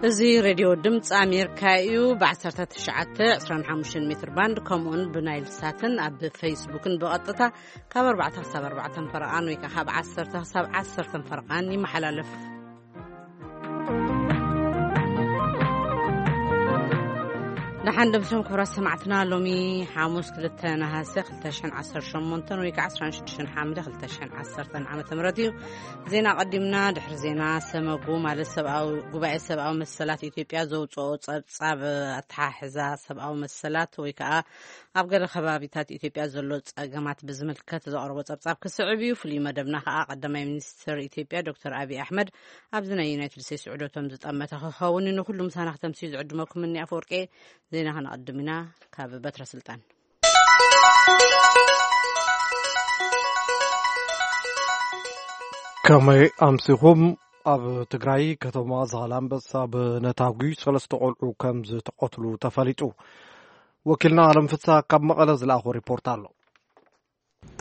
እዚ ሬድዮ ድምፂ ኣሜሪካ እዩ። ብ19፣ 25 ሜትር ባንድ፣ ከምኡውን ብናይል ሳትን ኣብ ፌስቡክን ብቐጥታ ካብ 4 ክሳብ 4 ፈረቓን ወይ ከዓ ካብ 10 ክሳብ 10 ፈረቓን ይመሓላለፍ። ደሓን ደምሶም ክቡራት ሰማዕትና፣ ሎሚ ሓሙስ ክልተ ነሃሰ ክልተ ሽሕን ዓሰርተ ሸሞንተን ወይ ከዓ 16 ሓምለ ክልተ ሽሕን ዓሰርተን ዓመተ ምህረት እዩ። ዜና ቀዲምና። ድሕሪ ዜና፣ ሰመጉ ማለት ሰብኣዊ፣ ጉባኤ ሰብኣዊ መሰላት ኢትዮጵያ ዘውፅኦ ጸብጻብ ኣተሓሕዛ ሰብኣዊ መሰላት ወይ ከዓ ኣብ ገለ ከባቢታት ኢትዮጵያ ዘሎ ጸገማት ብዝምልከት ዘቕረቦ ጸብጻብ ክስዕብ እዩ። ፍሉይ መደብና ከዓ ቀዳማይ ሚኒስትር ኢትዮጵያ ዶክተር ኣብይ ኣሕመድ ኣብዚ ናይ ዩናይትድ ስቴትስ ዑደቶም ዝጠመተ ክኸውን እዩ። ንኩሉ ምሳና ክተምስዩ ዝዕድመኩም እኒ ኣፈወርቄ። ዜና ከነቐድም ኢና። ካብ በትረ ስልጣን። ከመይ ኣምሲኹም? ኣብ ትግራይ ከተማ ዛላምበሳ ብነታጒ ሰለስተ ቆልዑ ከም ዝተቐትሉ ተፈሊጡ። ወኪልና ኣለም ፍስሃ ካብ መቐለ ዝለኣኾ ሪፖርት ኣሎ።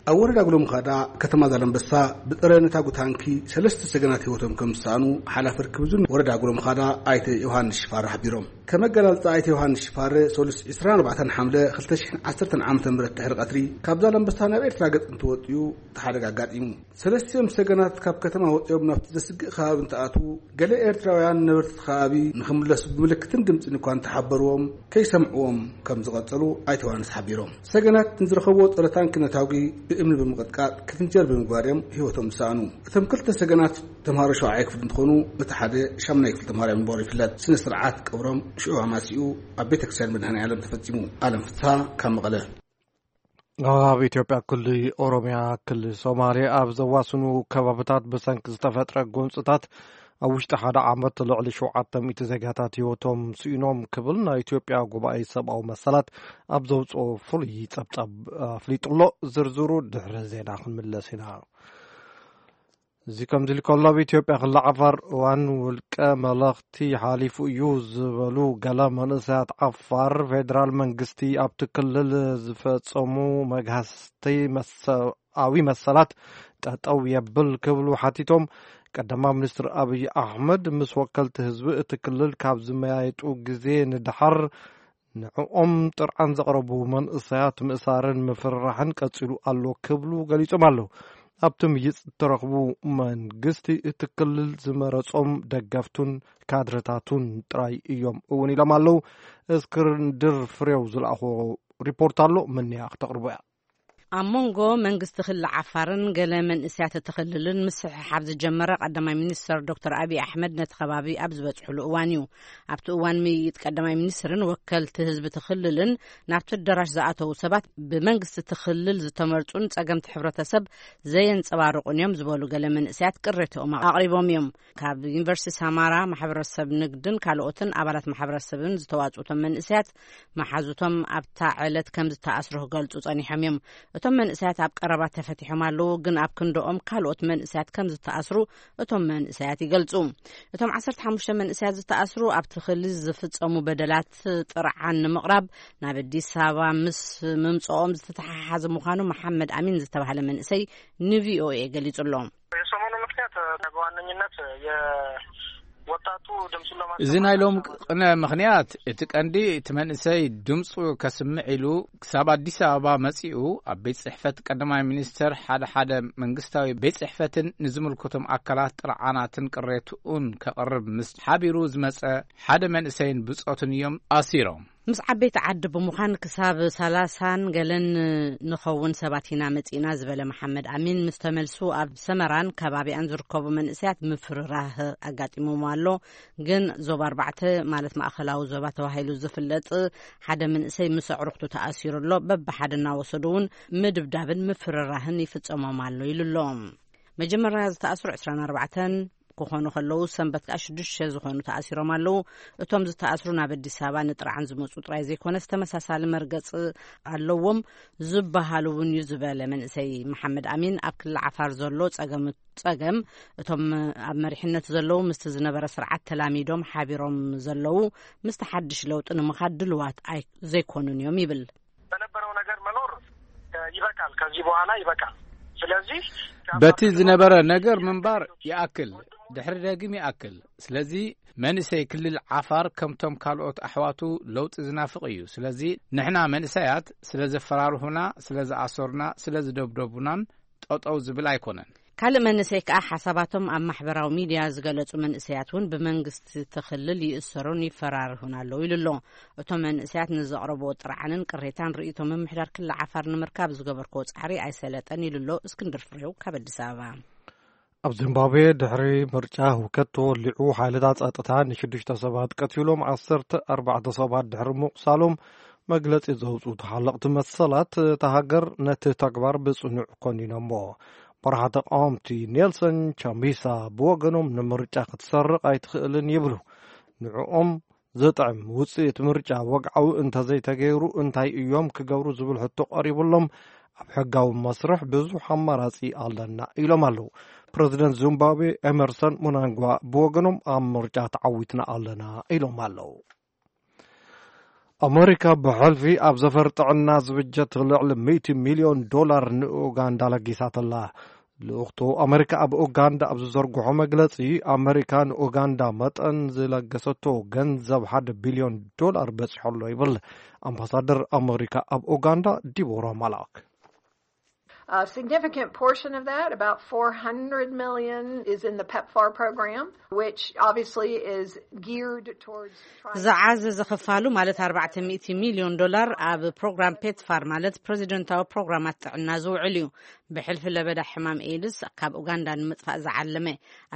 ኣብ ወረዳ ጉሎምኻዳ ከተማ ዛላምበሳ ብጸረ ነታጒ ታንኪ ሰለስተ ሰገናት ህይወቶም ከም ዝሰኣኑ ሓላፊ ርክብ ዞን ወረዳ ጉሎምኻዳ ኣይተ ዮሃንስ ሽፋር ሓቢሮም። ከም ኣገላልጻ ኣይተ ዮሃንስ ሽፋር፣ ሰሉስ 24 ሓምለ 2010 ዓ.ም ድሕሪ ቀትሪ ካብ ዛላምበሳ ናብ ኤርትራ ገጽ እንትወጽኡ እቲ ሓደጋ ኣጋጢሙ። ሰለስቲኦም ሰገናት ካብ ከተማ ወጺኦም ናብቲ ዘስግእ ከባቢ እንትኣትዉ፣ ገለ ኤርትራውያን ነበርቲ እቲ ከባቢ ንኽምለሱ ብምልክትን ድምጽን እኳ እንተሓበርዎም፣ ከይሰምዕዎም ከም ዝቐጸሉ ኣይተ ዮሃንስ ሓቢሮም። ሰገናት ንዝረኸብዎ ጸረ ታንኪ ነታጒ ብእምኒ ብምቕጥቃጥ፣ ክትንጀር ብምግባር እዮም ህይወቶም ዝሰኣኑ። እቶም ክልተ ሰገናት ተምሃሮ ሻውዓይ ክፍሊ እንትኾኑ፣ እቲ ሓደ ሻምናይ ክፍሊ ተምሃሮ እዮም ምንባሩ ይፍለጥ። ስነ ስርዓት ቀብሮም ሽዑ ኣማሲኡ ኣብ ቤተ ክርስቲያን መድኃኔ ዓለም ተፈጺሙ። ኣለም ፍስሃ ካብ መቐለ። ኣብ ኢትዮጵያ ክልል ኦሮሚያ፣ ክልል ሶማሌ ኣብ ዘዋስኑ ከባብታት ብሰንኪ ዝተፈጥረ ጎንጽታት ኣብ ውሽጢ ሓደ ዓመት ልዕሊ 700 ዜጋታት ህይወቶም ስኢኖም ክብል ናይ ኢትዮጵያ ጉባኤ ሰብኣዊ መሰላት ኣብ ዘውፅኦ ፍሉይ ጸብጻብ ኣፍሊጡ ኣሎ። ዝርዝሩ ድሕሪ ዜና ክንምለስ ኢና። እዚ ከምዚ ኢሉ ከሎ፣ ኣብ ኢትዮጵያ ክልል ዓፋር እዋን ውልቀ መለኽቲ ሓሊፉ እዩ ዝበሉ ገለ መንእሰያት ዓፋር፣ ፌዴራል መንግስቲ ኣብቲ ክልል ዝፈጸሙ መግሃስቲ መሰ-፣ ኣዊ መሰላት ጠጠው የብል ክብሉ ሓቲቶም። ቀዳማይ ሚኒስትር ኣብይ ኣሕመድ ምስ ወከልቲ ህዝቢ እቲ ክልል ካብ ዝመያየጡ ግዜ ንደሓር ንዕኦም ጥርዓን ዘቕረቡ መንእሰያት ምእሳርን ምፍርራሕን ቀጺሉ ኣሎ ክብሉ ገሊጾም ኣለዉ። ኣብቲ ምይይጥ እተረኽቡ መንግስቲ እቲ ክልል ዝመረጾም ደገፍቱን ካድረታቱን ጥራይ እዮም እውን ኢሎም ኣለዉ። እስክንድር ፍሬው ዝለኣኾ ሪፖርት ኣሎ፣ ምንያ ክተቕርቦ እያ። ኣብ መንጎ መንግስቲ ክልል ዓፋርን ገለ መንእሰያት እቲ ክልልን ምስሕሓብ ዝጀመረ ቀዳማይ ሚኒስትር ዶክተር ኣብይ ኣሕመድ ነቲ ከባቢ ኣብ ዝበጽሕሉ እዋን እዩ። ኣብቲ እዋን ምይይጥ ቀዳማይ ሚኒስትርን ወከልቲ ህዝቢ እቲ ክልልን ናብቲ ኣዳራሽ ዝኣተዉ ሰባት ብመንግስቲ እቲ ክልል ዝተመርጹን ጸገምቲ ሕብረተሰብ ዘየንጸባርቑን እዮም ዝበሉ ገለ መንእሰያት ቅሬታኦም ኣቕሪቦም እዮም። ካብ ዩኒቨርሲቲ ሰማራ ማሕበረሰብ ንግድን ካልኦትን ኣባላት ማሕበረሰብን ዝተዋጽኡ እቶም መንእሰያት፣ መሓዙቶም ኣብታ ዕለት ከም ዝተኣስሩ ክገልጹ ጸኒሖም እዮም። እቶም መንእሰያት ኣብ ቀረባ ተፈቲሖም ኣለዉ፣ ግን ኣብ ክንድኦም ካልኦት መንእሰያት ከም ዝተኣስሩ እቶም መንእሰያት ይገልጹ። እቶም 15 መንእሰያት ዝተኣስሩ ኣብቲ ክልል ዝፍጸሙ በደላት ጥርዓን ንምቕራብ ናብ ኣዲስ ኣበባ ምስ ምምጽኦም ዝተተሓሓዘ ምዃኑ መሓመድ ኣሚን ዝተባህለ መንእሰይ ንቪኦኤ ገሊጹ ኣሎ። የሰሞኑ ምክንያት በዋነኝነት የወጣቱ ድምፁን ለማሰማት እዚ ናይ ሎም ቅነ ምክንያት፣ እቲ ቀንዲ እቲ መንእሰይ ድምፁ ከስምዕ ኢሉ ክሳብ ኣዲስ ኣበባ መፂኡ፣ ኣብ ቤት ፅሕፈት ቀዳማይ ሚኒስተር ሓደ ሓደ መንግስታዊ ቤት ፅሕፈትን ንዝምልከቶም ኣካላት ጥርዓናትን ቅሬትኡን ከቕርብ ምስ ሓቢሩ ዝመፀ ሓደ መንእሰይን ብፆትን እዮም ኣሲሮም። ምስ ዓበይቲ ዓዲ ብምዃን ክሳብ ሰላሳን ገለን ንኸውን ሰባት ኢና መጺእና ዝበለ መሓመድ ኣሚን፣ ምስ ተመልሱ ኣብ ሰመራን ከባቢኣን ዝርከቡ መንእሰያት ምፍርራህ ኣጋጢሞም ኣሎ። ግን ዞባ ኣርባዕተ፣ ማለት ማእኸላዊ ዞባ ተባሂሉ ዝፍለጥ ሓደ መንእሰይ ምስ ኣዕሩኽቱ ተኣሲሩ ኣሎ። በብሓደ እናወሰዱ እውን ምድብዳብን ምፍርራህን ይፍጸሞም ኣሎ ኢሉ ኣሎ። መጀመርያ ዝተኣስሩ ዕስራን ኣርባዕተን ክኾኑ ከለዉ፣ ሰንበት ከኣ ሽዱሽተ ዝኾኑ ተኣሲሮም ኣለዉ። እቶም ዝተኣስሩ ናብ ኣዲስ ኣበባ ንጥርዓን ዝመጹ ጥራይ ዘይኮነስ፣ ተመሳሳሊ መርገጺ ኣለዎም ዝበሃሉ እውን እዩ ዝበለ መንእሰይ መሓመድ ኣሚን፣ ኣብ ክልል ዓፋር ዘሎ ጸገም፣ ጸገም እቶም ኣብ መሪሕነት ዘለዉ ምስቲ ዝነበረ ስርዓት ተላሚዶም ሓቢሮም ዘለዉ ምስቲ ሓድሽ ለውጢ ንምኻድ ድልዋት ኣይ-፣ ዘይኮኑን እዮም ይብል። በነበረው ነገር መኖር ይበቃል። ከዚህ በኋላ ይበቃል። ስለዚህ በቲ ዝነበረ ነገር ምንባር ይኣክል። ድሕሪ ደግም ይኣክል። ስለዚ መንእሰይ ክልል ዓፋር ከምቶም ካልኦት ኣሕዋቱ ለውጢ ዝናፍቕ እዩ። ስለዚ ንሕና መንእሰያት ስለ ዘፈራርሁና፣ ስለ ዝኣሰሩና፣ ስለ ዝደብደቡናን ጠጠው ዝብል ኣይኮነን። ካልእ መንእሰይ ከኣ ሓሳባቶም ኣብ ማሕበራዊ ሚድያ ዝገለጹ መንእሰያት እውን ብመንግስቲ እቲ ክልል ይእሰሩን ይፈራርሁን ኣለዉ ኢሉ ኣሎ። እቶም መንእሰያት ንዘቕረብዎ ጥርዓንን ቅሬታን ርእይቶ ምምሕዳር ክልል ዓፋር ንምርካብ ዝገበርክዎ ጻዕሪ ኣይሰለጠን ኢሉ ኣሎ። እስክንድር ፍሬው ካብ ኣዲስ ኣበባ። ኣብ ዚምባብዌ ድሕሪ ምርጫ ህውከት ተወሊዑ፣ ሓይልታት ጸጥታ ንሽዱሽተ ሰባት ቀቲሎም፣ ዓሰርተ ኣርባዕተ ሰባት ድሕሪ ምቑሳሎም መግለጺ ዘውጽኡ ተሓለቕቲ መሰላት እታ ሃገር ነቲ ተግባር ብጽኑዕ ኮኒኖሞ። መራሒ ተቃወምቲ ኔልሰን ቻምቢሳ ብወገኖም ንምርጫ ክትሰርቕ ኣይትኽእልን ይብሉ። ንዕኦም ዝጥዕም ውጽኢት ምርጫ ወግዓዊ እንተዘይተገይሩ እንታይ እዮም ክገብሩ ዝብል ሕቶ ቀሪቡሎም፣ ኣብ ሕጋዊ መስርሕ ብዙሕ ኣማራጺ ኣለና ኢሎም ኣለዉ። ፕረዚደንት ዚምባብዌ ኤመርሰን ሙናንጓ ብወገኖም ኣብ ምርጫ ተዓዊትና ኣለና ኢሎም ኣለዉ። ኣመሪካ ብሕልፊ ኣብ ዘፈር ጥዕና ዝብጀት ልዕሊ ሚእቲ ሚልዮን ዶላር ንኡጋንዳ ለጊሳትላ። ልኡኽቶ ኣመሪካ ኣብ ኡጋንዳ ኣብ ዝዘርግሖ መግለጺ፣ ኣመሪካ ንኡጋንዳ መጠን ዝለገሰቶ ገንዘብ ሓደ ቢልዮን ዶላር በጺሖ ኣሎ ይብል ኣምባሳደር ኣመሪካ ኣብ ኡጋንዳ ዲቦራ ማላክ። A significant portion of that, about four hundred million, is in the PEPFAR program, which obviously is geared towards trying to ዝዓዘዘ ክፋሉ ማለት ኣርባዕተ ሚእቲ ሚልዮን ዶላር ኣብ ፕሮግራም ፔትፋር ማለት ፕረዚደንታዊ ፕሮግራማት ጥዕና ዝውዕል እዩ። ብሕልፊ ለበዳ ሕማም ኤድስ ካብ ኡጋንዳ ንምጥፋእ ዝዓለመ፣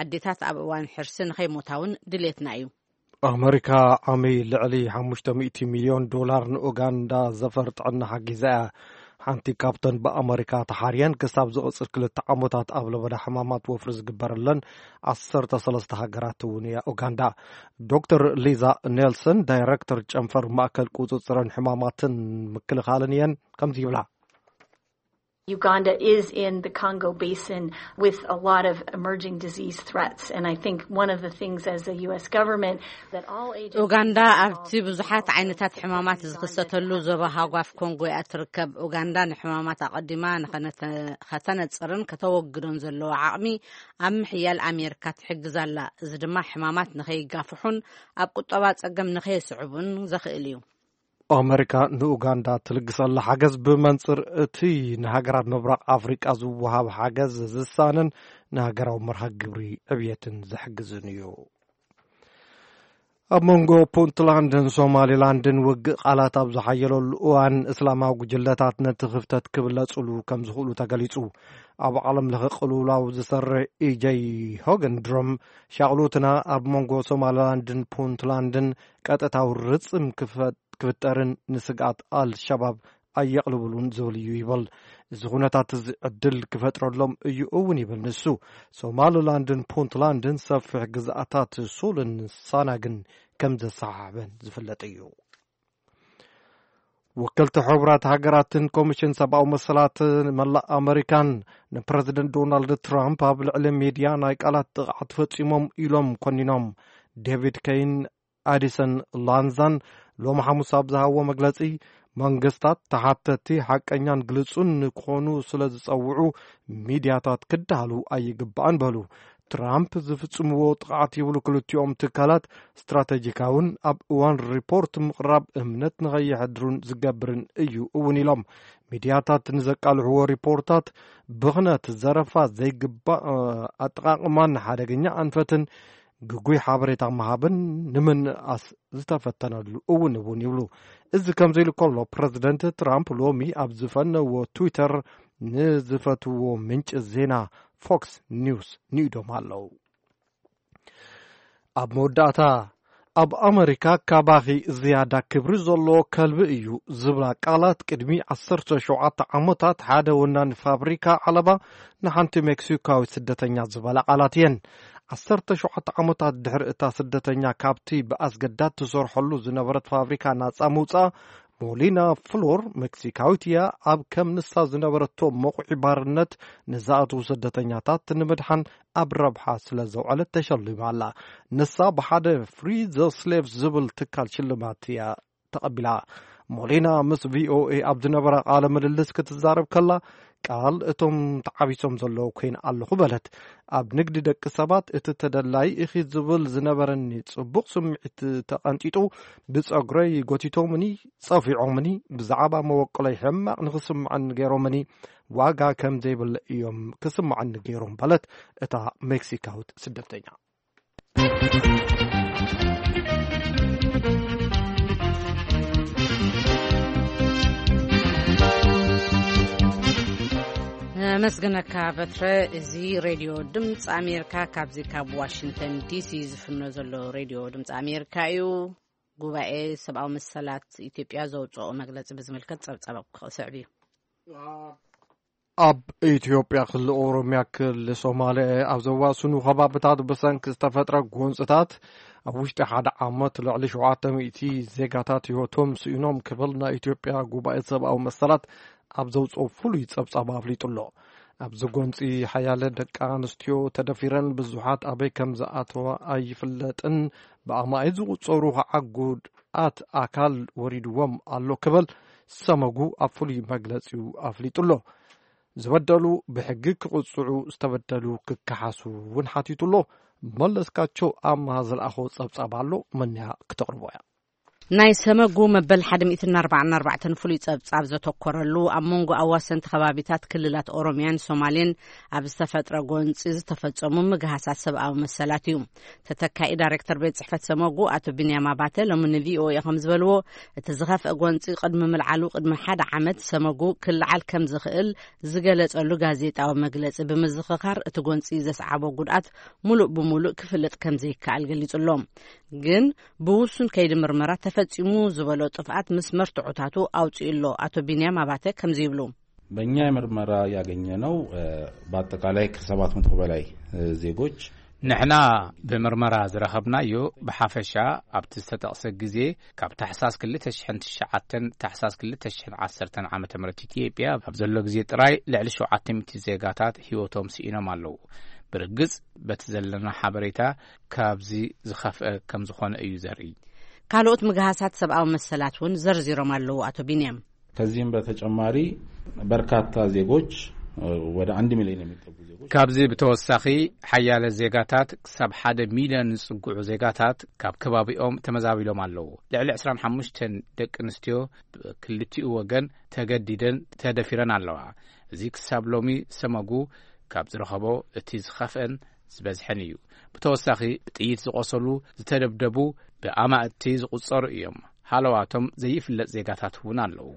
ኣዴታት ኣብ እዋን ሕርሲ ንኸይሞታ እውን ድሌትና እዩ። ኣመሪካ ዓሚ ልዕሊ ሓሙሽተ ሚእቲ ሚልዮን ዶላር ንኡጋንዳ ዘፈር ጥዕና ሓጊዛ እያ። ሓንቲ ካብተን ብኣመሪካ ተሓርየን ክሳብ ዝቕጽል ክልተ ዓመታት ኣብ ለበዳ ሕማማት ወፍሪ ዝግበረለን ዓሰርተ ሰለስተ ሃገራት እውን እያ ኡጋንዳ። ዶክተር ሊዛ ኔልሰን ዳይረክተር ጨንፈር ማእከል ቁጽጽርን ሕማማትን ምክልኻልን እየን ከምዚ ይብላ። Uganda is in the Congo Basin with a lot of emerging disease threats. And I think one of the things as the U S government that all agencies ኡጋንዳ ኣብቲ ብዙሓት ዓይነታት ሕማማት ዝኽሰተሉ ዞባ ሃጓፍ ኮንጎ እያ ትርከብ። ኡጋንዳ ንሕማማት ኣቐዲማ ንኸነተ- ከተነጽርን ከተወግዶን ዘለዎ ዓቕሚ ኣብ ምሕያል ኣሜሪካ ትሕግዝ ኣላ። እዚ ድማ ሕማማት ንኸይጋፍሑን ኣብ ቁጠባ ጸገም ንኸየስዕቡን ዘኽእል እዩ። ኣመሪካ ንኡጋንዳ ትልግሰላ ሓገዝ ብመንጽር እቲ ንሃገራት ምብራቕ ኣፍሪቃ ዝወሃብ ሓገዝ ዝሳንን ንሃገራዊ መርሃ ግብሪ ዕብየትን ዝሕግዝን እዩ። ኣብ መንጎ ፑንትላንድን ሶማሊላንድን ውግእ ቃላት ኣብ ዝሓየለሉ እዋን፣ እስላማዊ ጉጅለታት ነቲ ክፍተት ክብለጽሉ ከም ዝኽእሉ ተገሊጹ። ኣብ ዓለም ለኸ ቅልውላው ዝሰርሕ ኢጀይ ሆገንድሮም፣ ሻቕሎትና ኣብ መንጎ ሶማሊላንድን ፑንትላንድን ቀጥታዊ ርጽም ክፈ- ክፍጠርን ንስግኣት ኣልሸባብ ኣየቕልብሉን ዝብል እዩ ይብል። እዚ ኩነታት እዚ ዕድል ክፈጥረሎም እዩ እውን ይብል ንሱ። ሶማሊላንድን ፑንትላንድን ሰፊሕ ግዝኣታት ሱልን ሳናግን ከም ዘሰሓሕበን ዝፍለጥ እዩ። ወከልቲ ሕቡራት ሃገራትን ኮሚሽን ሰብኣዊ መሰላት መላእ ኣመሪካን ንፕረዚደንት ዶናልድ ትራምፕ ኣብ ልዕሊ ሚድያ ናይ ቃላት ጥቕዓት ፈጺሞም ኢሎም ኮኒኖም። ዴቪድ ከይን ኣዲሰን ላንዛን ሎሚ ሓሙስ ኣብ ዝሃብዎ መግለጺ፣ መንግስታት ተሓተቲ ሓቀኛን ግልጹን ንክኾኑ ስለ ዝጸውዑ፣ ሚድያታት ክዳሃሉ ኣይግባእን በሉ። ትራምፕ ዝፍጽምዎ ጥቕዓት ይብሉ ክልቲኦም ትካላት ስትራተጂካውን ኣብ እዋን ሪፖርት ምቕራብ እምነት ንኸየሕድሩን ዝገብርን እዩ እውን ኢሎም። ሚድያታት ንዘቃልሕዎ ሪፖርታት ብኽነት፣ ዘረፋ፣ ዘይግባእ ኣጠቓቕማን ሓደገኛ ኣንፈትን ግጉይ ሓበሬታ ምሃብን ንምንኣስ ዝተፈተነሉ እውን እውን ይብሉ። እዚ ከምዚ ኢሉ ከሎ፣ ፕረዚደንት ትራምፕ ሎሚ ኣብ ዝፈነዎ ትዊተር ንዝፈትዎ ምንጪ ዜና ፎክስ ኒውስ ንኢዶም ኣለዉ። ኣብ መወዳእታ፣ ኣብ ኣመሪካ ካባኺ ዝያዳ ክብሪ ዘለዎ ከልቢ እዩ ዝብላ ቃላት ቅድሚ ዓሰርተ ሸውዓተ ዓመታት ሓደ ወናኒ ፋብሪካ ዓለባ ንሓንቲ ሜክሲካዊት ስደተኛ ዝበላ ቃላት እየን። ዓሰርተ ሸውዓተ ዓመታት ድሕሪ እታ ስደተኛ ካብቲ ብኣስገዳድ ትሰርሐሉ ዝነበረት ፋብሪካ ናጻ ምውጻኣ፣ ሞሊና ፍሎር ሜክሲካዊት እያ። ኣብ ከም ንሳ ዝነበረቶ መቑዒ ባርነት ንዝኣትዉ ስደተኛታት ንምድሓን ኣብ ረብሓ ስለ ዘውዐለት ተሸሊማ ኣላ። ንሳ ብሓደ ፍሪ ዘ ስሌቭ ዝብል ትካል ሽልማት እያ ተቐቢላ። ሞሊና ምስ ቪኦኤ ኣብ ዝነበራ ቃለ ምልልስ ክትዛረብ ከላ፣ ቃል እቶም ተዓቢሶም ዘለዉ ኮይነ ኣለኹ በለት። ኣብ ንግዲ ደቂ ሰባት እቲ ተደላይ ኢኺ ዝብል ዝነበረኒ ጽቡቕ ስምዒት ተቐንጢጡ፣ ብጸጉረይ ጎቲቶምኒ፣ ጸፊዖምኒ፣ ብዛዕባ መበቆለይ ሕማቕ ንኽስምዐኒ ገይሮምኒ፣ ዋጋ ከም ዘይብለ እዮም ክስምዐኒ ገይሮም በለት እታ ሜክሲካዊት ስደተኛ። ነመስግነካ በትረ። እዚ ሬድዮ ድምፂ ኣሜሪካ ካብዚ ካብ ዋሽንግተን ዲሲ ዝፍኖ ዘሎ ሬድዮ ድምፂ ኣሜሪካ እዩ። ጉባኤ ሰብኣዊ መሰላት ኢትዮጵያ ዘውፅኦ መግለፂ ብዝምልከት ፀብፀብ ክስዕብ እዩ። ኣብ ኢትዮጵያ ክልል ኦሮሚያ ክልል ሶማሌ ኣብ ዘዋስኑ ከባብታት ብሰንኪ ዝተፈጥረ ጎንፅታት ኣብ ውሽጢ ሓደ ዓመት ልዕሊ ሸውዓተ ሚእቲ ዜጋታት ህይወቶም ስኢኖም ክብል ናይ ኢትዮጵያ ጉባኤ ሰብኣዊ መሰላት ኣብ ዘውፅኦ ፍሉይ ፀብፃብ ኣፍሊጡ ኣሎ። ኣብዚ ጎንፂ ሓያለ ደቂ ኣንስትዮ ተደፊረን ብዙሓት ኣበይ ከም ዝኣተዋ ኣይፍለጥን፣ ብኣማኢት ዝቑፀሩ ከዓ ጉድኣት ኣካል ወሪድዎም ኣሎ ክብል ሰመጉ ኣብ ፍሉይ መግለፂኡ ኣፍሊጡ ኣሎ። ዝበደሉ ብሕጊ ክቕፅዑ፣ ዝተበደሉ ክከሓሱ እውን ሓቲቱ ኣሎ። መለስካቸው ኣምሃ ዝለኣኾ ፀብፃብ ኣሎ፣ መንያ ክተቕርቦ እያ። ናይ ሰመጉ መበል ሓደ ሚእትን ኣርባዓን ኣርባዕተን ፍሉይ ጸብጻብ ዘተኮረሉ ኣብ መንጎ ኣዋሰንቲ ከባቢታት ክልላት ኦሮሚያን ሶማሌን ኣብ ዝተፈጥረ ጎንጺ ዝተፈጸሙ ምግሃሳት ሰብኣዊ መሰላት እዩ። ተተካኢ ዳይሬክተር ቤት ጽሕፈት ሰመጉ ኣቶ ቢንያም ኣባተ ሎሚ ንቪኦኤ ከም ዝበልዎ፣ እቲ ዝኸፍአ ጎንጺ ቅድሚ ምልዓሉ ቅድሚ ሓደ ዓመት ሰመጉ ክለዓል ከም ዝኽእል ዝገለጸሉ ጋዜጣዊ መግለጺ ብምዝኽኻር፣ እቲ ጎንጺ ዘስዓቦ ጉድኣት ሙሉእ ብሙሉእ ክፍለጥ ከም ዘይከኣል ገሊጹ ኣሎ። ግን ብውሱን ከይዲ ምርመራ ተፈጺሙ ዝበሎ ጥፍኣት ምስ መርትዖታቱ ኣውጺኡ ኣሎ። ኣቶ ቢንያም ኣባተ ከምዚ ይብሉ። በእኛ የምርመራ ያገኘነው፣ እ፣ በአጠቃላይ ከሰባት መቶ በላይ፣ እ፣ ዜጎች ንሕና ብምርመራ ዝረኸብናዮ ብሓፈሻ ኣብቲ ዝተጠቕሰ ግዜ ካብ ታሕሳስ ክልተ ሽሕን ትሽዓተን ታሕሳስ ክልተ ሽሕን ዓሰርተን ዓመተ ምህረት ኢትዮጵያ ኣብ ዘሎ ግዜ ጥራይ ልዕሊ ሸውዓተ ሚእቲ ዜጋታት ህይወቶም ስኢኖም ኣለዉ። ብርግጽ በቲ ዘለና ሓበሬታ ካብዚ ዝኸፍአ ከም ዝኾነ እዩ ዘርኢ። ካልኦት ምግሃሳት ሰብኣዊ መሰላት እውን ዘርዚሮም ኣለዉ ኣቶ ቢንያም። ከዚህም በተጨማሪ በርካታ ዜጎች፣ እ፣ ወደ አንድ ሚሊዮን የሚጠጉ ዜጎች ካብዚ ብተወሳኺ ሓያለ ዜጋታት ክሳብ ሓደ ሚሊዮን ዝጽግዑ ዜጋታት ካብ ከባቢኦም ተመዛቢሎም ኣለዉ። ልዕሊ ዕስራን ሓሙሽተን ደቂ ኣንስትዮ ብክልቲኡ ወገን ተገዲደን ተደፊረን ኣለዋ። እዚ ክሳብ ሎሚ ሰመጉ ካብ ዝረኸቦ እቲ ዝኸፍአን ዝበዝሐን እዩ። ብተወሳኺ ብጥይት ዝቖሰሉ፣ ዝተደብደቡ ብኣማእቲ ዝቑጸሩ እዮም። ሃለዋቶም ዘይፍለጥ ዜጋታት እውን ኣለዉ።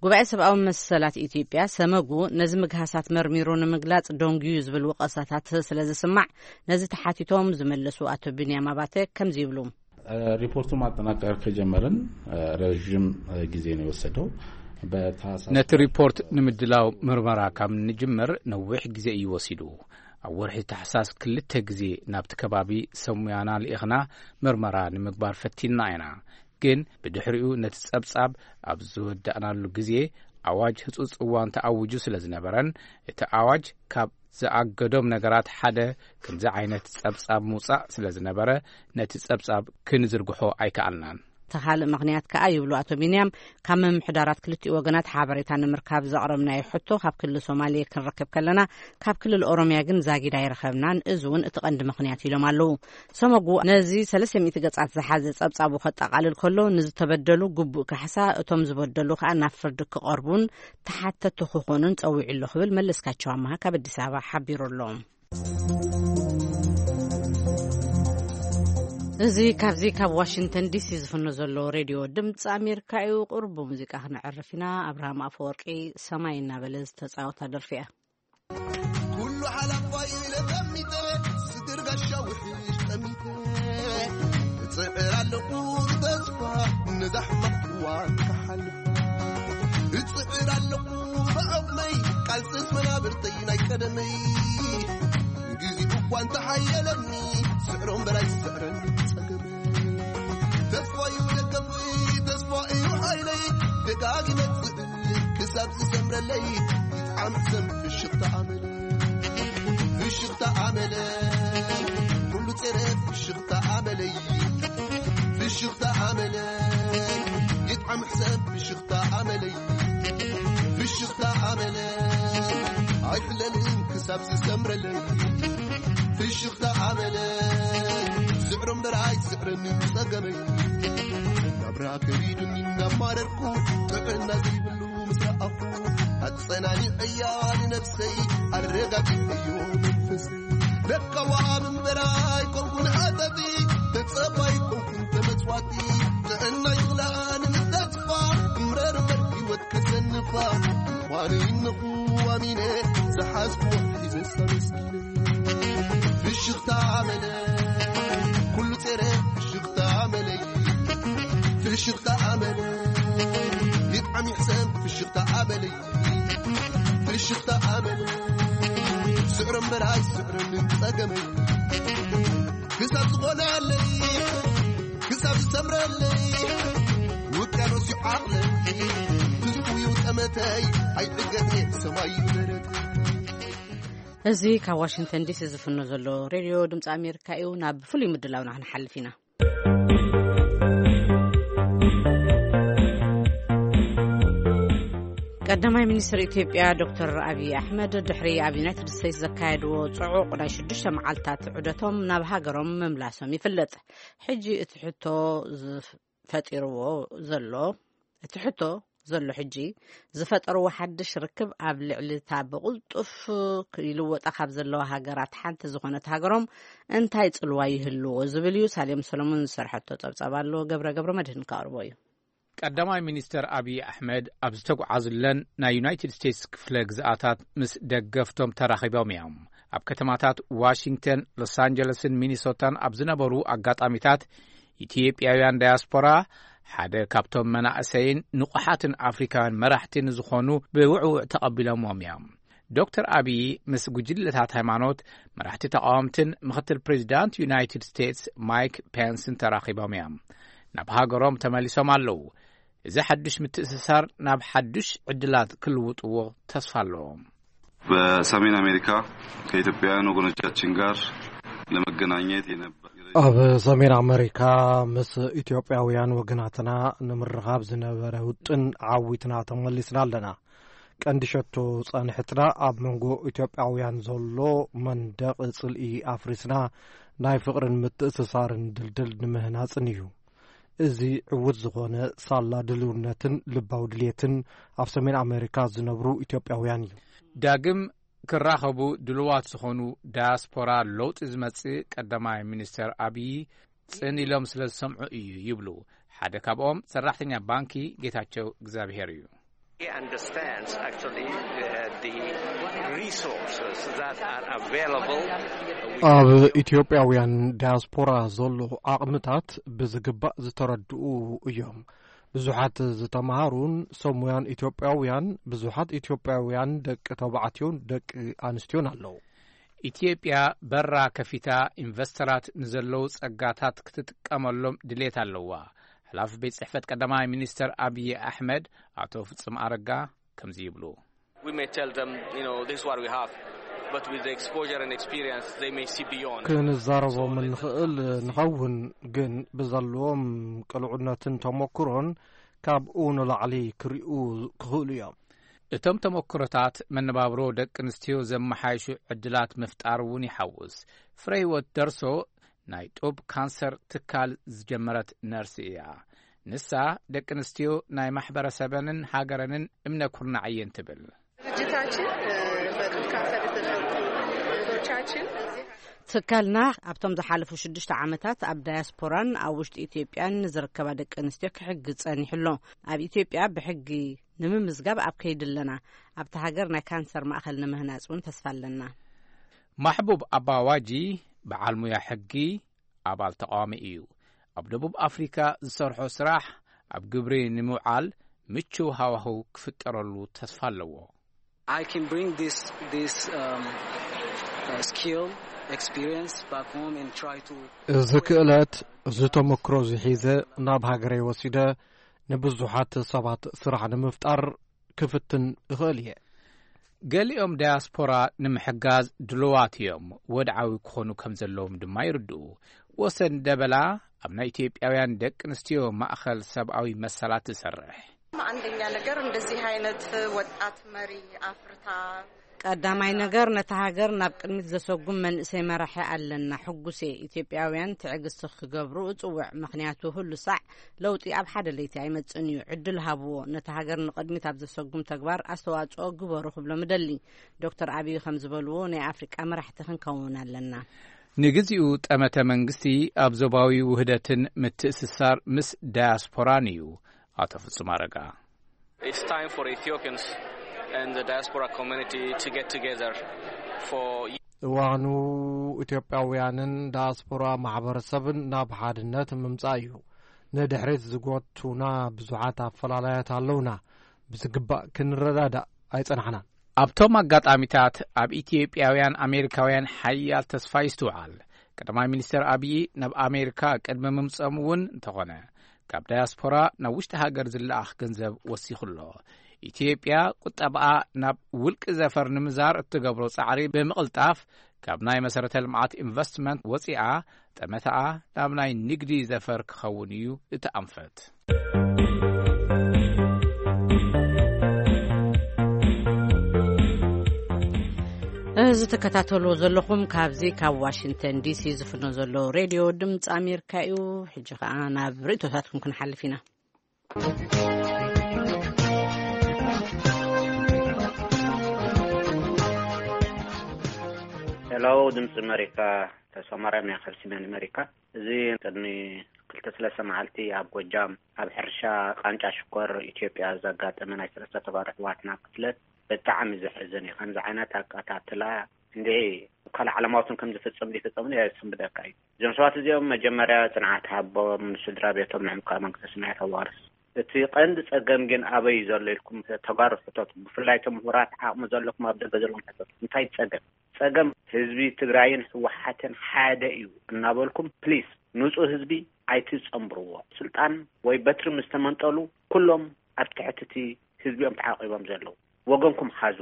ጉባኤ ሰብኣዊ መሰላት ኢትዮጵያ ሰመጉ ነዚ ምግሃሳት መርሚሩ ንምግላጽ ደንጉዩ ዝብል ወቐሳታት ስለ ዝስማዕ፣ ነዚ ተሓቲቶም ዝመለሱ ኣቶ ቢንያም ኣባተ ከምዚ ይብሉ። እ፣ ሪፖርቱ ማጠናቀር ከጀመርን፣ እ፣ ረዥም፣ እ፣ ጊዜ ነው የወሰደው። በታህሳስ ነቲ ሪፖርት ንምድላው ምርመራ ካብ ንጅምር ነዊሕ ግዜ እዩ ወሲዱ። ኣብ ወርሒ ታሕሳስ ክልተ ግዜ ናብቲ ከባቢ ሰሙያና ልኢኽና ምርመራ ንምግባር ፈቲንና ኢና። ግን ብድሕሪኡ ነቲ ጸብጻብ ኣብ ዝወዳእናሉ ግዜ ኣዋጅ ህጹጽ እዋን ተኣዊጁ ስለ ዝነበረን፣ እቲ ኣዋጅ ካብ ዝኣገዶም ነገራት ሓደ ከምዚ ዓይነት ጸብጻብ ምውጻእ ስለ ዝነበረ፣ ነቲ ጸብጻብ ክንዝርግሖ ኣይከኣልናን። እቲ ካልእ ምኽንያት ከኣ ይብሉ ኣቶ ቢንያም፣ ካብ ምምሕዳራት ክልቲኡ ወገናት ሓበሬታ ንምርካብ ዘቕረብናዮ ሕቶ ካብ ክልል ሶማሌ ክንረክብ ከለና፣ ካብ ክልል ኦሮሚያ ግን ዛጊድ ኣይረኸብናን። እዚ እውን እቲ ቀንዲ ምኽንያት ኢሎም ኣለዉ። ሰመጉ ነዚ ሰለስተ ሚእቲ ገጻት ዝሓዘ ጸብጻቡ ከጠቓልል ከሎ፣ ንዝተበደሉ ግቡእ ካሕሳ፣ እቶም ዝበደሉ ከኣ ናብ ፍርዲ ክቐርቡን ተሓተቲ ክኾኑን ጸዊዑ ኣሎ ክብል መለስካቸው ኣማሃ ካብ ኣዲስ ኣበባ ሓቢሩ ኣሎ። እዚ ካብዚ ካብ ዋሽንግተን ዲሲ ዝፍኖ ዘሎ ሬድዮ ድምፂ ኣሜሪካ እዩ። ቁሩብ ብሙዚቃ ክነዕርፍ ኢና። ኣብርሃም ኣፈወርቂ ሰማይ እናበለ ዝተፃወታ ደርፊ እያ። ኩሉ ሓላፋይ ኢለ ጠሚተ፣ ስድር ጋሻ ውሕሽ ጠሚተ። እጽዕር ኣለኹ ብተስፋ፣ ነዛ ሕማቕ እዋን ክሓልፋ። እጽዕር ኣለኹ ብዓቕመይ፣ ቃልስስ መናብርተይ ናይ ቀደመይ። ግዜ እኳ እንተሓየለኒ፣ ስዕሮም በላይ ስዕረን ጸገመይ። ተስፋ እዩ ደገፍይ፣ ተስፋ እዩ ሓይለይ፣ ደጋጊመ ክሳብ ዝሰምረለይ፣ ይጥዓም ሕሰም ፍሽኽታ ኣመለይ። ፍሽኽታ ኣመለይ፣ ኩሉ ጼረ ፍሽኽታ ኣመለይ። ፍሽኽታ ኣመለይ፣ ይጥዓም ሕሰም ፍሽኽታ ኣመለይ። ፍሽኽታ ኣመለይ፣ ለልን ክሳብ ዝሰምረለይ ፍሽኽታ ኣመለ ዝዕሮ እምበር ኣይስዕረኒ ጸገመይ ናብራ ከቢዱኒ እናማረርኩ ጥዕና ዘይብሉ ምስ ረኣኹ ኣጸናኒዐያ ንነፍሰይ ኣረጋጊዐዮ መንፈሰይ ለካ ወሃብ እምበር ኣይኮንኩን ኣጠፊ ተጸባይ ኮንኩን ተመጽዋቲ ጥዕና ይኽላኒ ምስ ተስፋ እምረር እምበር ህይወት ከሰንፋ ምዃኑ ይንኹ ኣሚነ ዝሓዝኩዎ ሒዘ ኣመስጊነ ፍሽኽታ ኣመለ ኩሉ ጸረ ፍሽኽታ ኣመለይ ፍሽኽታ ኣመለ ይጥዓም ይሕሰም ፍሽኽታ ኣመለይ ፍሽኽታ ኣመለ ስዕሮ እምበር ኣይስዕረንን ጸገመይ ክሳብ ዝኾነለይ ክሳብ ዝሰምረለይ ውቅያኖስ እዩ ዓቕለይ ትስፉ እዩ ጠመተይ ኣይዕገት እየ ሰማይ እዩ ደረት እዚ ካብ ዋሽንግተን ዲሲ ዝፍኖ ዘሎ ሬድዮ ድምፂ ኣሜሪካ እዩ። ናብ ፍሉይ ምድላውና ክንሓልፍ ኢና። ቀዳማይ ሚኒስትር ኢትዮጵያ ዶክተር ኣብይ ኣሕመድ ድሕሪ ኣብ ዩናይትድ ስቴትስ ዘካየድዎ ጽዑቕ ናይ ሽዱሽተ መዓልታት ዑደቶም ናብ ሃገሮም ምምላሶም ይፍለጥ። ሕጂ እቲ ሕቶ ዝፈጢርዎ ዘሎ እቲ ሕቶ ዘሎ ሕጂ ዝፈጠርዎ ሓድሽ ርክብ ኣብ ልዕሊ እታ ብቕልጡፍ ይልወጣ ካብ ዘለዋ ሃገራት ሓንቲ ዝኾነት ሃገሮም እንታይ ጽልዋ ይህልዎ ዝብል እዩ። ሳሌም ሰሎሞን ዝሰርሐቶ ጸብጻብ ኣሎ። ገብረ ገብረ መድህን ከቕርቦ እዩ። ቀዳማይ ሚኒስተር ኣብይ ኣሕመድ ኣብ ዝተጓዓዙለን ናይ ዩናይትድ ስቴትስ ክፍለ ግዝኣታት ምስ ደገፍቶም ተራኺቦም እዮም። ኣብ ከተማታት ዋሽንግተን፣ ሎስ ኣንጀለስን ሚኒሶታን ኣብ ዝነበሩ ኣጋጣሚታት ኢትዮጵያውያን ዳያስፖራ ሓደ ካብቶም መናእሰይን ንቑሓትን ኣፍሪካውያን መራሕቲ ንዝኾኑ ብውዕውዕ ተቐቢሎምዎም እዮም። ዶክተር ኣብይ ምስ ጉጅለታት ሃይማኖት፣ መራሕቲ ተቃወምትን ምክትል ፕሬዚዳንት ዩናይትድ ስቴትስ ማይክ ፔንስን ተራኺቦም እዮም። ናብ ሃገሮም ተመሊሶም ኣለዉ። እዚ ሓዱሽ ምትእስሳር ናብ ሓዱሽ ዕድላት ክልውጥዎ ተስፋ ኣለዎም። በሰሜን አሜሪካ ከኢትዮጵያውያን ወገኖቻችን ጋር ለመገናኘት የነበረ ኣብ ሰሜን ኣመሪካ ምስ ኢትዮጵያውያን ወገናትና ንምርኻብ ዝነበረ ውጥን ዓዊትና ተመሊስና ኣለና። ቀንዲ ሸቶ ጻንሕትና ኣብ መንጎ ኢትዮጵያውያን ዘሎ መንደቕ ጽልኢ ኣፍሪስና ናይ ፍቕርን ምትእስሳርን ድልድል ንምህናጽን እዩ። እዚ ዕዉት ዝኾነ ሳላ ድልውነትን ልባዊ ድልየትን ኣብ ሰሜን ኣመሪካ ዝነብሩ ኢትዮጵያውያን እዩ። ዳግም ክራኸቡ ድልዋት ዝኾኑ ዳያስፖራ ለውጢ ዝመጽእ ቀዳማይ ሚኒስተር ኣብዪ ጽን ኢሎም ስለ ዝሰምዑ እዩ ይብሉ። ሓደ ካብኦም ሰራሕተኛ ባንኪ ጌታቸው እግዚኣብሔር እዩ። He understands actually, uh, the resources that are available. ኣብ ኢትዮጵያውያን ዳያስፖራ ዘሎ ዓቕምታት ብዝግባእ ዝተረድኡ እዮም። ብዙሓት ዝተምሃሩን ሰሙያን ኢትዮጵያውያን፣ ብዙሓት ኢትዮጵያውያን ደቂ ተባዕትዮን ደቂ ኣንስትዮን ኣለዉ። ኢትዮጵያ በራ ከፊታ ኢንቨስተራት ንዘለዉ ጸጋታት ክትጥቀመሎም ድሌት ኣለዋ። ሓላፊ ቤት ጽሕፈት ቀዳማይ ሚኒስተር ኣብዪ ኣሕመድ ኣቶ ፍጹም ኣረጋ ከምዚ ይብሉ። We may tell them, you know, this is what we have, but with the exposure and experience, they may see beyond. ክንዛረቦም So, let them ንኽእል ንኸውን፣ ግን ብዘለዎም ቅልዑነትን ተመክሮን ካብኡ ንላዕሊ ክርእዩ ክኽእሉ እዮም። እቶም ተመክሮታት መነባብሮ ደቂ ኣንስትዮ ዘመሓይሹ ዕድላት ምፍጣር እውን ይሓውስ። ፍረ ህይወት ደርሶ ናይ ጡብ ካንሰር ትካል ዝጀመረት ነርስ እያ። ንሳ ደቂ ኣንስትዮ ናይ ማሕበረሰበንን ሃገረንን እምነ ኩርናዕ እየን ትብል። ድርጅታችን፣ እ፣ በጡት ካንሰር የተጠቁ እህቶቻችን እዚህ ትካልና ኣብቶም ዝሓለፉ ሽዱሽተ ዓመታት ኣብ ዳያስፖራን ኣብ ውሽጢ ኢትዮጵያን ንዝርከባ ደቂ ኣንስትዮ ክሕግዝ ጸኒሑ ኣሎ። ኣብ ኢትዮጵያ ብሕጊ ንምምዝጋብ ኣብ ከይዲ ኣለና። ኣብቲ ሃገር ናይ ካንሰር ማእኸል ንምህናጽ እውን ተስፋ ኣለና። ማሕቡብ ኣባዋጂ በዓል ሙያ ሕጊ፣ ኣባል ተቃዋሚ እዩ። ኣብ ደቡብ ኣፍሪካ ዝሰርሖ ስራሕ ኣብ ግብሪ ንምውዓል ምቹው ሃዋህው ክፍጠረሉ ተስፋ ኣለዎ። I can bring this, this, um, uh, skill, experience back home and try to እዚ ክእለት፣ እዚ ተመክሮ እዚ ሒዘ ናብ ሃገረይ ወሲደ ንብዙሓት ሰባት ስራሕ ንምፍጣር ክፍትን እኽእል እየ። ገሊኦም ዳያስፖራ ንምሕጋዝ ድሉዋት እዮም፣ ወድዓዊ ክኾኑ ከም ዘለዎም ድማ ይርድኡ። ወሰን ደበላ ኣብ ናይ ኢትዮጵያውያን ደቂ ኣንስትዮ ማእኸል ሰብኣዊ መሰላት ትሰርሕ። አንደኛ ነገር እንደዚህ አይነት ወጣት መሪ አፍርታ ቀዳማይ ነገር፣ ነታ ሃገር ናብ ቅድሚት ዘሰጉም መንእሰይ መራሒ ኣለና። ሕጉስ እየ። ኢትዮጵያውያን ትዕግስቲ ክገብሩ እጽውዕ፣ ምኽንያቱ ህሉ ሳዕ ለውጢ ኣብ ሓደ ለይቲ ኣይመጽእን እዩ። ዕድል ሃብዎ፣ ነታ ሃገር ንቕድሚት ኣብ ዘሰጉም ተግባር ኣስተዋጽኦ ግበሩ ክብሎም እደሊ። ዶክተር ኣብይ ከም ዝበልዎ፣ ናይ ኣፍሪቃ መራሕቲ ክንከውን ኣለና። ንግዚኡ ጠመተ መንግስቲ ኣብ ዞባዊ ውህደትን ምትእስሳር ምስ ዳያስፖራን እዩ። ኣቶ ፍጹም ኣረጋ። It's time for Ethiopians and the diaspora community to get together for እዋኑ ኢትዮጵያውያንን ዳያስፖራ ማሕበረሰብን ናብ ሓድነት ምምጻእ እዩ። ንድሕሪት ዝጎቱና ብዙሓት ኣፈላላያት ኣለውና። ብዝግባእ ክንረዳዳእ ኣይጸናሕናን። ኣብቶም ኣጋጣሚታት ኣብ ኢትዮጵያውያን ኣሜሪካውያን ሓያል ተስፋ ይስትውዓል። ቀዳማይ ሚኒስተር ኣብዪ ናብ ኣሜሪካ ቅድሚ ምምጽኦም እውን እንተኾነ፣ ካብ ዳያስፖራ ናብ ውሽጢ ሃገር ዝለኣኽ ገንዘብ ወሲኹ ኣሎ። ኢትዮጵያ ቁጠባኣ ናብ ውልቂ ዘፈር ንምዛር እትገብሮ ጻዕሪ ብምቕልጣፍ፣ ካብ ናይ መሰረተ ልምዓት ኢንቨስትመንት ወጺኣ፣ ጠመታኣ ናብ ናይ ንግዲ ዘፈር ክኸውን እዩ እቲ ኣንፈት። እዚ ትከታተልዎ ዘለኹም ካብዚ ካብ ዋሽንግተን ዲሲ ዝፍኖ ዘሎ ሬድዮ ድምፂ ኣሜሪካ እዩ። ሕጂ ኸዓ ናብ ርእይቶታትኩም ክንሓልፍ ኢና። ሄሎ፣ ድምፂ ኣሜሪካ፣ ተስፋ ማርያም እያ ካብ ሰሜን ኣሜሪካ። እዚ ቅድሚ ክልተ ሰለስተ መዓልቲ ኣብ ጎጃም ኣብ ሕርሻ ቃንጫ ሽኮር ኢትዮጵያ ዘጋጠመ ናይ ሰለስተ ተጋሩ ኣሕዋትና ቅትለት ብጣዕሚ ዘሕዝን እዩ። ከምዚ ዓይነት ኣቀታትላ እንድዒ ካልእ ዓለማውትን ከም ዝፍጸም ዘይፍጸምን የሰንብደካ እዩ። እዞም ሰባት እዚኦም መጀመርያ ጽንዓት ሃቦም፣ ንስድራ ቤቶም፣ ንዕምቃ መንግስተ ሰማያት ኣዋርስ። እቲ ቀንዲ ጸገም ግን ኣበይ እዩ ዘሎ ኢልኩም ተጋሩ ሕተቱ። ብፍላይ እቶም ምሁራት ዓቕሚ ዘለኩም ኣብ ደገ ዘለኹም ሕተቱ። እንታይ ጸገም? ጸገም ህዝቢ ትግራይን ህወሓትን ሓደ እዩ እናበልኩም ፕሊስ ንጹህ ህዝቢ ኣይትጸንብርዎ። ስልጣን ወይ በትሪ ምስ ተመንጠሉ ኩሎም ኣብ ትሕቲ እቲ ህዝቢ እዮም ተዓቂቦም ዘለዉ። ወገንኩም ሓዙ።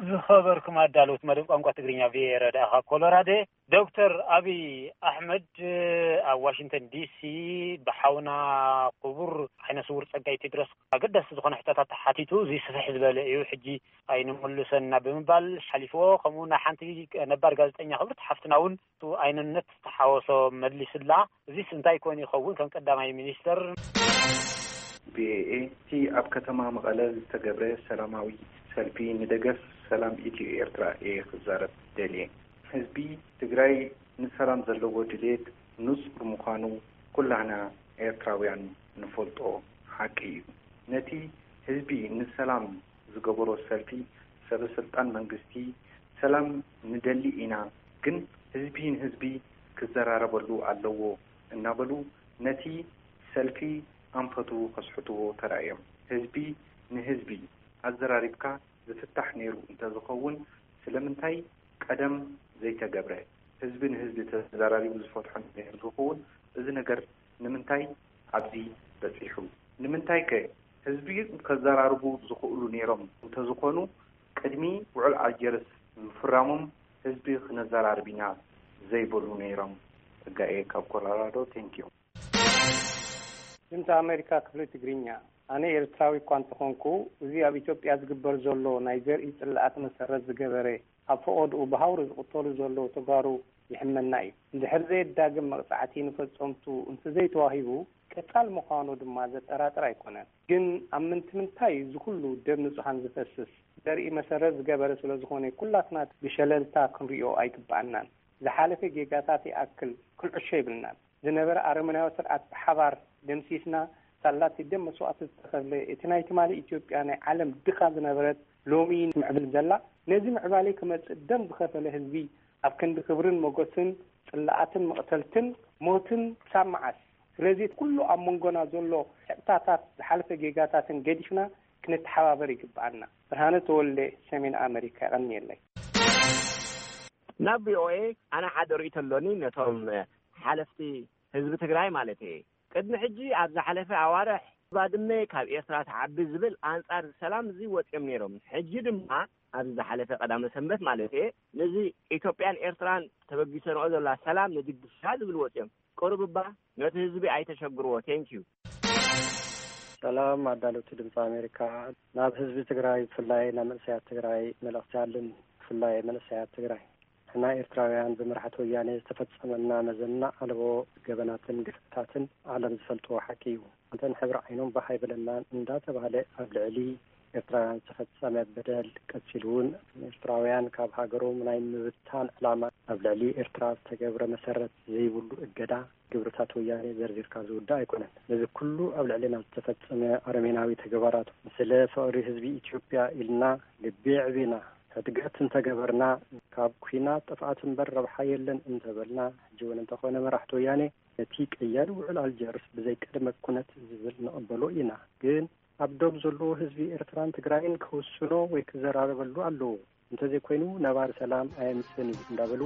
ዝኸበርኩም ኣዳለውቲ መደብ ቋንቋ ትግርኛ ቪኦኤ ረዳእ ካብ ኮሎራዶ፣ ዶክተር ኣብይ ኣሕመድ ኣብ ዋሽንግተን ዲሲ ብሓውና ክቡር ዓይነ ስውር ጸጋይ ቴድሮስ ኣገዳሲ ዝኾነ ሕቶታት ተሓቲቱ፣ እዚ ስፍሕ ዝበለ እዩ። ሕጂ ኣይንምልሰና ብምባል ሓሊፍዎ። ከምኡ ናይ ሓንቲ ነባር ጋዜጠኛ ክብርቲ ሓፍትና እውን እቱ ኣይንነት ዝተሓወሶ መሊስላ። እዚስ እንታይ ኮን ይኸውን? ከም ቀዳማይ ሚኒስተር ቪኦኤ፣ እቲ ኣብ ከተማ መቐለ ዝተገብረ ሰላማዊ ሰልፊ ንደገፍ ሰላም ኢትዮ ኤርትራ እየ ክዛረብ ደልየ። ህዝቢ ትግራይ ንሰላም ዘለዎ ድሌት ንጹር ምዃኑ ኩላህና ኤርትራውያን ንፈልጦ ሓቂ እዩ። ነቲ ህዝቢ ንሰላም ዝገበሮ ሰልፊ ሰበ ስልጣን መንግስቲ ሰላም ንደሊ ኢና፣ ግን ህዝቢ ንህዝቢ ክዘራረበሉ ኣለዎ እናበሉ ነቲ ሰልፊ ኣንፈቱ ከስሕትዎ ተራእዮም። ህዝቢ ንህዝቢ ኣዘራሪብካ ዝፍታሕ ነይሩ እንተዝኸውን ስለምንታይ ቀደም ዘይተገብረ? ህዝቢ ንህዝቢ ተዘራሪቡ ዝፈትሖ ነይሩ ዝኸውን እዚ ነገር ንምንታይ ኣብዚ በጺሑ? ንምንታይ ከ ህዝቢ ከዘራርቡ ዝኽእሉ ነይሮም እንተዝኾኑ ቅድሚ ውዕል ኣልጀርስ ምፍራሞም ህዝቢ ክነዘራርብ ኢና ዘይበሉ ነይሮም? ጸጋኤ ካብ ኮሎራዶ። ቴንኪዩ። ድምፂ ኣሜሪካ ክፍሊ ትግርኛ። ኣነ ኤርትራዊ እኳ እንተኾንኩ፣ እዚ ኣብ ኢትዮጵያ ዝግበር ዘሎ ናይ ዘርኢ ጽላኣት መሰረት ዝገበረ፣ ኣብ ፈቐድኡ ብሃውሪ ዝቕተሉ ዘለዉ ተጋሩ ይሕመና እዩ። እንድሕር ዘየዳግም መቕጻዕቲ ንፈጸምቱ እንተዘይተዋሂቡ፣ ቀጻል ምዃኑ ድማ ዘጠራጥር ኣይኮነን። ግን ኣብ ምንትምንታይ እዚ ኩሉ ደም ንጹሃን ዝፈስስ? ዘርኢ መሰረት ዝገበረ ስለ ዝኾነ፣ ኩላትና ብሸለልታ ክንሪኦ ኣይግብኣናን። ዝሓለፈ ጌጋታት ይኣክል ክንዕሾ የብልናን። ዝነበረ ኣረመናዊ ስርዓት ብሓባር ደምሲስና፣ ሳላ እቲ ደም መስዋእቲ ዝተኸፍለ፣ እቲ ናይ ትማሊ ኢትዮጵያ ናይ ዓለም ድኻ ዝነበረት፣ ሎሚ ምዕብል ዘላ፣ ነዚ ምዕባለ ክመጽእ ደም ዝኸፈለ ህዝቢ፣ ኣብ ክንዲ ክብርን ሞገስን ጽላኣትን መቕተልትን ሞትን ክሳብ መዓስ? ስለዚ ኩሉ ኣብ መንጎና ዘሎ ሕቕታታት ዝሓለፈ ጌጋታትን ገዲፍና ክንተሓባበር ይግብኣና። ብርሃነ ተወልደ፣ ሰሜን ኣመሪካ፣ የቐንየለይ። ናብ ቪኦኤ ኣነ ሓደ ርእይቶ ኣሎኒ ነቶም ሓለፍቲ ህዝቢ ትግራይ ማለት እየ። ቅድሚ ሕጂ ኣብ ዝሓለፈ ኣዋርሕ ባድመ ካብ ኤርትራ ትዓቢ ዝብል ኣንጻር ሰላም እዚ ወጺኦም ነይሮም። ሕጂ ድማ ኣብዚ ዝሓለፈ ቀዳመ ሰንበት ማለት እየ፣ ነዚ ኢትዮጵያን ኤርትራን ተበጊሰንኦ ዘላ ሰላም ንድግሳ ዝብል ወጺኦም። ቅሩብ እባ ነቲ ህዝቢ ኣይተሸግርዎ። ቴንኪዩ። ሰላም ኣዳለውቲ ድምፂ ኣሜሪካ። ናብ ህዝቢ ትግራይ፣ ብፍላይ ናብ መንእሰያት ትግራይ መልእኽቲ ኣለን። ብፍላይ መንእሰያት ትግራይ፣ ንሕና ኤርትራውያን ብመራሕቲ ወያኔ ዝተፈጸመና መዘና ኣልቦ ገበናትን ግፍዕታትን ዓለም ዝፈልጥዎ ሓቂ እዩ። እንተን ሕብሪ ዓይኖም ባህ ኣይበለናን እንዳተባህለ ኣብ ልዕሊ ኤርትራውያን ዝተፈጸመ በደል፣ ቀጺሉ እውን ኤርትራውያን ካብ ሃገሮም ናይ ምብታን ዕላማ፣ ኣብ ልዕሊ ኤርትራ ዝተገብረ መሰረት ዘይብሉ እገዳ፣ ግብርታት ወያኔ ዘርዚርካ ዝውዳእ ኣይኮነን። ነዚ ኩሉ ኣብ ልዕሌና ዝተፈጸመ ኣረሜናዊ ተግባራት፣ ስለ ፍቕሪ ህዝቢ ኢትዮጵያ ኢልና ልቢ ኣዕቢና ሕድገት እንተገበርና፣ ካብ ኲናት ጥፍኣት እምበር ረብሓ የለን እንተበልና፣ ሕጂ እውን እንተኾነ መራሕቲ ወያኔ ነቲ ቀያዲ ውዕል ኣልጀርስ ብዘይ ቅድመ ኩነት ዝብል ንቕበሎ ኢና። ግን ኣብ ዶብ ዘለዎ ህዝቢ ኤርትራን ትግራይን ክውስኖ ወይ ክዘራረበሉ ኣለዎ። እንተዘይኮይኑ ነባሪ ሰላም ኣየምጽእን እዩ እንዳበሉ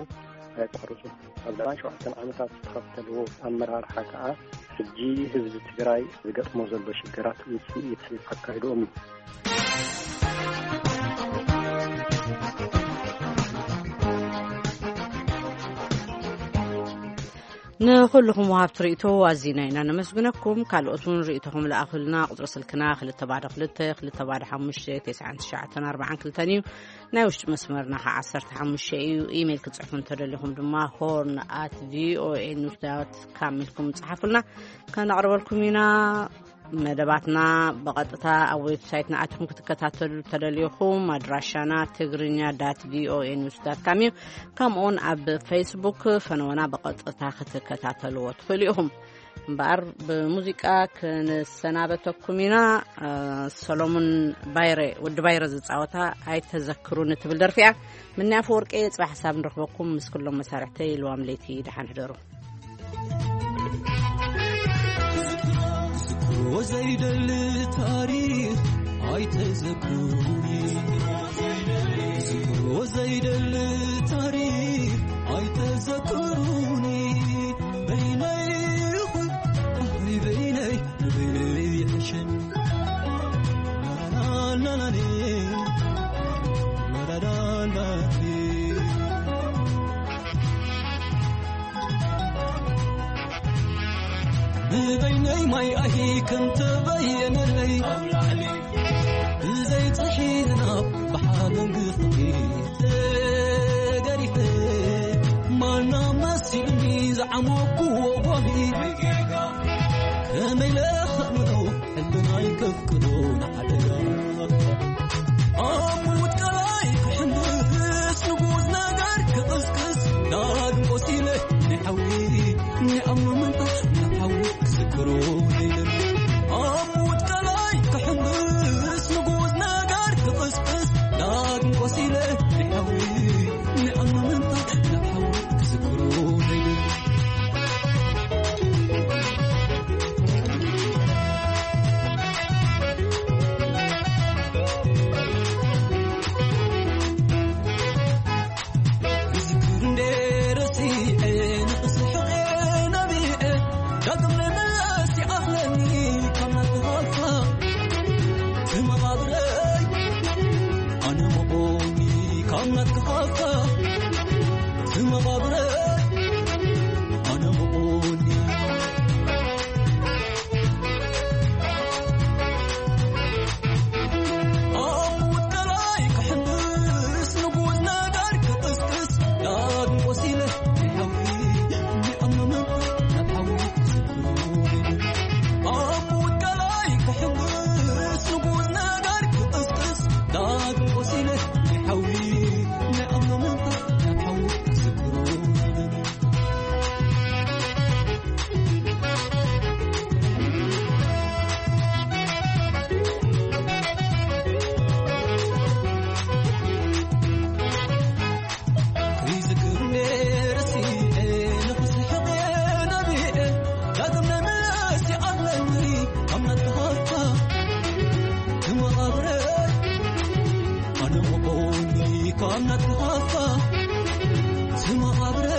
ኣየቋርጹ። ኣብ ለባን ሸውዓተን ዓመታት ዝተኸተልዎ ኣመራርሓ ከኣ ሕጂ ህዝቢ ትግራይ ዝገጥሞ ዘሎ ሽግራት ውጽኢት ኣካይድኦም እዩ። ንኹልኹም ወሃብቲ ርእይቶ ኣዚና ኢና ነመስግነኩም። ካልኦት እውን ርእይቶኹም ለኣኹልና። ቁጽሪ ስልክና ክልተ ባዶ ክልተ፣ ክልተ ባዶ ሓሙሽተ፣ ተስዓን ትሽዓተን ኣርባዓን ክልተን እዩ። ናይ ውሽጢ መስመርና ኸዓ ዓሰርተ ሓሙሽተ እዩ። ኢሜይል ክትጽሕፉ እንተደሊኹም ድማ ሆርን ኣት ቪኦኤ ኒውስ ዳት ካም ኢልኩም ጽሓፉልና፣ ከነቕርበልኩም ኢና። መደባትና ብቐጥታ ኣብ ዌብሳይትና ኣትኹም ክትከታተሉ ተደሊኹም፣ ኣድራሻና ትግርኛ ዳት ቪኦኤ ኒውስ ዳት ካም እዩ። ከምኡውን ኣብ ፌስቡክ ፈነወና ብቐጥታ ክትከታተልዎ ትኽእሉ ኢኹም። እምበኣር ብሙዚቃ ክንሰናበተኩም ኢና። እ፣ ሰሎሙን ባይረ፣ ወዲ ባይረ ዝጻወታ ኣይተዘክሩኒ ትብል ደርፊ እያ። ምኒ ኣፈወርቂ፣ ጽባሕ ሓሳብ ንረኽበኩም። ምስ ኩሎም መሳርሕተይ ልዋም ለይቲ ደሓን ሕደሩ። ዝክሮ ዘይደሊ ታሪኽ ኣይተዘክሩኒ። ዝክሮ ዘይደሊ ታሪኽ ኣይተዘክሩኒ። በይነይ ይኹን፣ ኣይ በይነይ፣ በይነይ ይሕሸኒ። ላላላላሌ፣ ላላላላሌ። ንበይነይ ማይ ኣሂ ከም ተበየነለይ፣ ብዘይ ጽሒና ብሓመንግኽቲ ተገሪፈ፣ ማና መሲሉኒ ዝዓመኩዎ ጓሂ። ከመይ ለኸምኖ ሕልናይ ከፍቅዶ ንሓደጋ። ኣብ ምውት ቀላይ ክሕንብስ ንጉዝ ነገር ክቕስቅስ ዳግም ቆሲለ ንሓዊ ንኣምኖ ምንታ ንሓዊ ክዝክሮ ዘይደሊ። ኣብ ምውት ቀላይ ክሕንብስ ንጉዝ ነገር ክቕስቅስ ዳግም ቆሲለ ንሓዊ ንኣምኖ ምንታ ንሓዊ ክዝክሮ ዘይደሊ። ክዝክር እንደ ረሲዐ ንኽስሕቕ ነቢዐ ዳግም ንምለስ ይኣኽለኒ ካብ ናትኻ ሃፍታ። ትመቓብረይ ኣነ መቖሚ ካብ ናትካ ሃፍታ። ትመቓብረይ ኣነ መቖሚ። ኣብ ምውት ቀላይ ክሕንብስ ንጉዝ ነገር ክቕስቅስ ዳግም ቆሲለ ንሓዊ ንኣምኖ ምንታ ናብ ሓዊ ክዝክሮ። ኣብ ምውት ቀላይ ክሕንብስ ንጉዝ ነገር ክቕስቅስ ዳግም ቆሲለ ንሓዊ ንኣምኖ ምንታ ናብ ሓዊ ክዝክሮ። ክዝክር ነይረ ሲኤ ንኽስሕቕ ነቢዐ ዳግም ናይ መለስ ይኣለኒ ካብ ናትካ ሃፍታ። ትመቓብረ ኣነ መቆኒ ካብ ናትካ ሃፍታ። ትመቓብረ